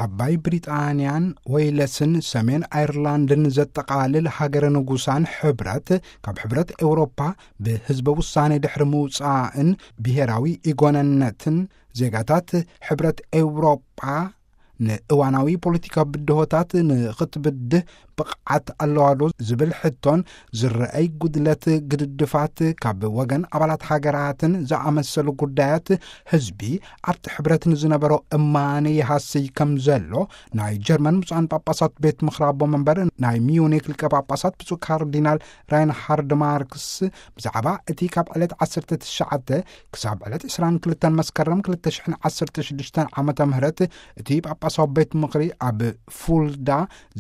ዓባይ ብሪጣንያን ዌይለስን ሰሜን ኣየርላንድን ዘጠቓልል ሃገረ ንጉሳን ሕብረት፣ ካብ ሕብረት ኤውሮፓ ብህዝበ ውሳኔ ድሕሪ ምውጻእን ብሄራዊ ኢጎነነትን ዜጋታት ሕብረት ኤውሮጳ ንእዋናዊ ፖለቲካዊ ብድሆታት ንኽትብድህ ብቕዓት ኣለዋ ዶ ዝብል ሕቶን ዝረኣይ ጉድለት ግድድፋት ካብ ወገን ኣባላት ሃገራትን ዝኣመሰሉ ጉዳያት ህዝቢ ኣብቲ ሕብረት ንዝነበሮ እማነ ይሃስይ ከም ዘሎ ናይ ጀርመን ብፁዓን ጳጳሳት ቤት ምኽሪ ኣቦ መንበር ናይ ሚዩኒክ ሊቀ ጳጳሳት ብፁዕ ካርዲናል ራይንሃርድ ማርክስ ብዛዕባ እቲ ካብ ዕለት ዓሰርተ ትሽዓተ ክሳብ ዕለት ዕስራን ክልተን መስከረም ክልተ ሽሕን ዓሰርተ ሽዱሽተን ዓመተ ምህረት እቲ ጳጳሳዊ ቤት ምኽሪ ኣብ ፉልዳ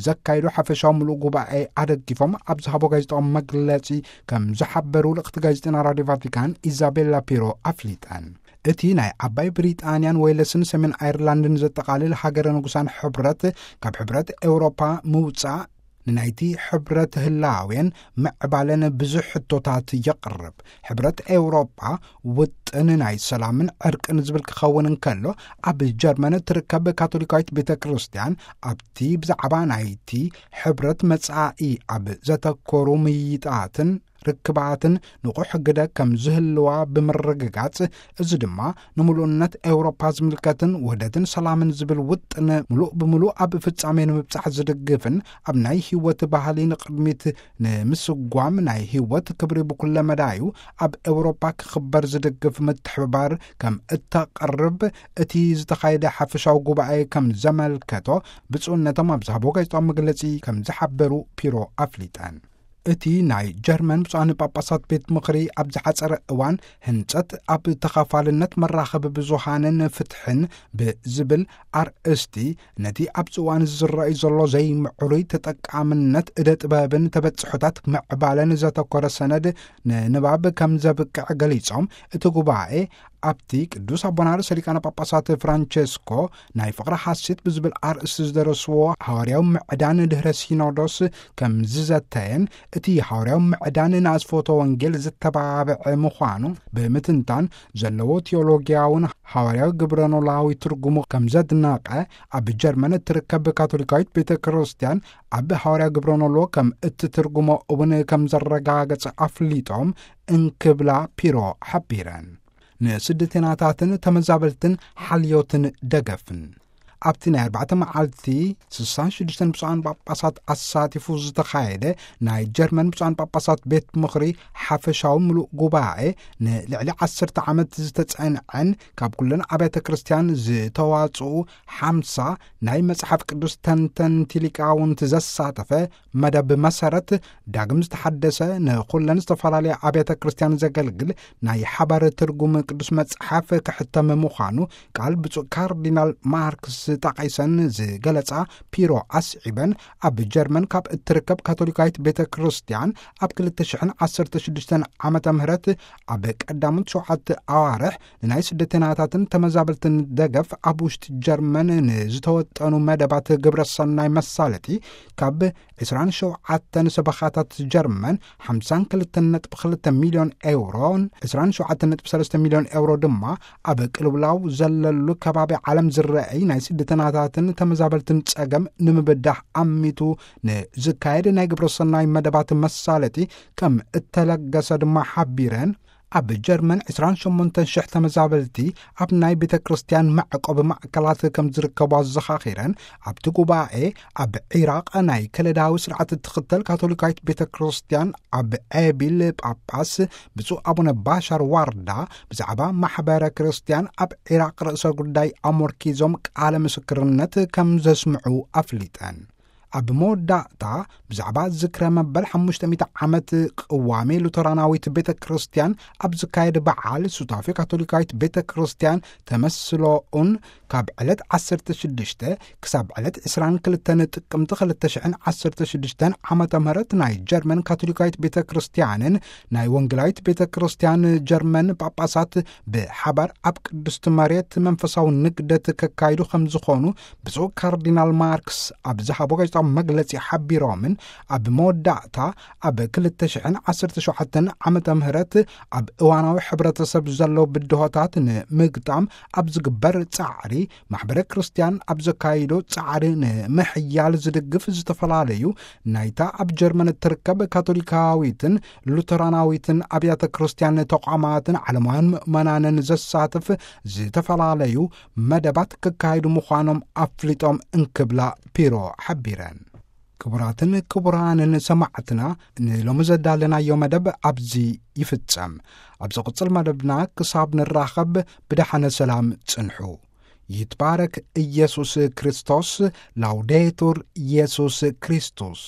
ዘካይዶ ሓፈሻዊ ምሉእ ጉባኤ ኣደጊፎም ኣብ ዝሃቦ ጋዜጣዊ መግለጺ ከም ዝሓበሩ ልእኽቲ ጋዜጠና ራድዮ ቫቲካን ኢዛቤላ ፒሮ ኣፍሊጠን። እቲ ናይ ዓባይ ብሪጣንያን ዌለስን ሰሜን ኣየርላንድን ዘጠቓልል ሃገረ ንጉሳን ሕብረት ካብ ሕብረት ኤውሮፓ ምውጻእ ንናይቲ ሕብረት ህላዌን ምዕባለን ብዙሕ ሕቶታት የቕርብ። ሕብረት ኤውሮጳ ውጥን ናይ ሰላምን ዕርቅን ዝብል ክኸውን እንከሎ፣ ኣብ ጀርመን እትርከብ ካቶሊካዊት ቤተ ክርስቲያን ኣብቲ ብዛዕባ ናይቲ ሕብረት መጻኢ ኣብ ዘተኮሩ ምይይጣትን ርክባትን ንቑሕ ግደ ከም ዝህልዋ ብምርግጋጽ፣ እዚ ድማ ንምሉእነት ኤውሮፓ ዝምልከትን ውህደትን ሰላምን ዝብል ውጥን ምሉእ ብምሉእ ኣብ ፍጻሜ ንምብጻሕ ዝድግፍን ኣብ ናይ ህይወት ባህሊ ንቕድሚት ንምስጓም ናይ ህይወት ክብሪ ብኩለ መዳዩ ኣብ ኤውሮፓ ክኽበር ዝድግፍ ምትሕብባር ከም እተቕርብ እቲ ዝተኻየደ ሓፈሻዊ ጉባኤ ከም ዘመልከቶ ብፁዕነቶም ኣብ ዝሃቦ ጋዜጣዊ መግለጺ ከም ዝሓበሩ ፒሮ ኣፍሊጠን። እቲ ናይ ጀርመን ብፁዓን ጳጳሳት ቤት ምኽሪ ኣብ ዝሓጸረ እዋን ህንጸት ኣብ ተኻፋልነት መራኸቢ ብዙሃንን ፍትሕን ብዝብል ኣርእስቲ ነቲ ኣብዚ እዋን ዝረኣይ ዘሎ ዘይምዕሩይ ተጠቃምነት እደ ጥበብን ተበጽሖታት ምዕባለን ዘተኮረ ሰነድ ንንባብ ከም ዘብቅዕ ገሊጾም፣ እቲ ጉባኤ ኣብቲ ቅዱስ ኣቦና ርእሰ ሊቃነ ጳጳሳት ፍራንቸስኮ ናይ ፍቕሪ ሓሴት ብዝብል ኣርእስቲ ዝደረስዎ ሃዋርያዊ ምዕዳን ድህረ ሲኖዶስ ከም ዝዘተየን፣ እቲ ሃዋርያዊ ምዕዳን ንኣስፎቶ ወንጌል ዝተባብዐ ምዃኑ ብምትንታን ዘለዎ ቴዎሎጊያውን ሃዋርያዊ ግብረኖላዊ ትርጉሙ ከም ዘድነቐ፣ ኣብ ጀርመን እትርከብ ካቶሊካዊት ቤተ ክርስቲያን ኣብ ሃዋርያዊ ግብረኖሎ ከም እትትርጉሞ እውን ከም ዘረጋገጸ ኣፍሊጦም እንክብላ ፒሮ ሓቢረን። ንስደተናታትን ተመዛበልትን ሓልዮትን ደገፍን። ኣብቲ ናይ ኣርባዕተ መዓልቲ ስሳን ሽዱሽተን ብፁዓን ጳጳሳት ኣሳቲፉ ዝተኻየደ ናይ ጀርመን ብፁዓን ጳጳሳት ቤት ምኽሪ ሓፈሻዊ ምሉእ ጉባኤ፣ ንልዕሊ ዓሰርተ ዓመት ዝተጸንዐን ካብ ኩለን ኣብያተ ክርስቲያን ዝተዋጽኡ ሓምሳ ናይ መጽሓፍ ቅዱስ ተንተንቲ ሊቃውንቲ ዘሳተፈ መደብ መሰረት፣ ዳግም ዝተሓደሰ ንኹለን ዝተፈላለያ ኣብያተ ክርስቲያን ዘገልግል ናይ ሓባር ትርጉም ቅዱስ መጽሓፍ ክሕተም ምዃኑ ቃል ብፁዕ ካርዲናል ማርክስ ጠቒሰን ዝገለጻ ፒሮ ኣስዒበን፣ ኣብ ጀርመን ካብ እትርከብ ካቶሊካዊት ቤተ ክርስቲያን ኣብ ክልተ ሽሕን ዓሰርተ ሽዱሽተን ዓመተ ምህረት ኣብ ቀዳሞት ሸውዓተ ኣዋርሕ ንናይ ስደተናታትን ተመዛበልትን ደገፍ ኣብ ውሽጢ ጀርመን ንዝተወጠኑ መደባት ግብረ ሰናይ መሳለጢ ካብ ዕስራን ሸውዓተን ሰበኻታት ጀርመን ሓምሳን ክልተን ነጥቢ ክልተ ሚልዮን ኤውሮን ዕስራን ሸውዓተን ነጥቢ ሰለስተ ሚልዮን ኤውሮ ድማ ኣብ ቅልውላው ዘለሉ ከባቢ ዓለም ዝረኣይ ናይ ስደተናታትን ተመዛበልትን ጸገም ንምብዳህ ኣሚቱ ንዝካየድ ናይ ግብረ ሰናይ መደባት መሳለጢ ከም እተለገሰ ድማ ሓቢረን፣ ኣብ ጀርመን ዕስራን ሸሞንተን ሽሕ ተመዛበልቲ ኣብ ናይ ቤተ ክርስቲያን መዕቆቢ ማእከላት ከም ዝርከቡ ኣዘኻኺረን፣ ኣብቲ ጉባኤ ኣብ ዒራቕ ናይ ከለዳዊ ስርዓት እትኽተል ካቶሊካዊት ቤተ ክርስቲያን ኣብ ኤቢል ጳጳስ ብፁዕ ኣቡነ ባሻር ዋርዳ ብዛዕባ ማሕበረ ክርስቲያን ኣብ ዒራቕ ርእሰ ጉዳይ ኣሞርኪዞም ቃለ ምስክርነት ከም ዘስምዑ ኣፍሊጠን። ኣብ መወዳእታ ብዛዕባ ዝክረ መበል ሓሙሽተ ሚእቲ ዓመት ቅዋሜ ሉተራናዊት ቤተ ክርስቲያን ኣብ ዝካየድ በዓል ሱታፌ ካቶሊካዊት ቤተ ክርስቲያን ተመስሎኡን ካብ ዕለት ዓሰርተ ሽዱሽተ ክሳብ ዕለት ዕስራን ክልተን ጥቅምቲ ክልተ ሽሕን ዓሰርተ ሽዱሽተን ዓመተ ምህረት ናይ ጀርመን ካቶሊካዊት ቤተ ክርስቲያንን ናይ ወንጌላዊት ቤተ ክርስቲያን ጀርመን ጳጳሳት ብሓባር ኣብ ቅድስቲ መሬት መንፈሳዊ ንግደት ከካይዱ ከም ዝኾኑ ብፁዕ ካርዲናል ማርክስ ኣብ ዝሃቦ ጋዜጣ ኣብ መግለጺ ሓቢሮምን፣ ኣብ መወዳእታ ኣብ ክልተ ሽሕን ዓሰርተ ሸውዓተን ዓመተ ምህረት ኣብ እዋናዊ ሕብረተሰብ ዘለዉ ብድሆታት ንምግጣም ኣብ ዝግበር ጻዕሪ፣ ማሕበረ ክርስቲያን ኣብ ዘካይዶ ጻዕሪ ንምሕያል ዝድግፍ ዝተፈላለዩ ናይታ ኣብ ጀርመን እትርከብ ካቶሊካዊትን ሉተራናዊትን ኣብያተ ክርስቲያን ተቋማትን ዓለማውያን ምእመናንን ዘሳትፍ ዝተፈላለዩ መደባት ክካየዱ ምዃኖም ኣፍሊጦም እንክብላ ፒሮ ሓቢረን። ክቡራትን ክቡራንን ሰማዕትና፣ ንሎሚ ዘዳለናዮ መደብ ኣብዚ ይፍጸም። ኣብ ዝቕጽል መደብና ክሳብ ንራኸብ ብደሓነ ሰላም ጽንሑ። ይትባረክ ኢየሱስ ክርስቶስ። ላውዴቱር ኢየሱስ ክርስቶስ።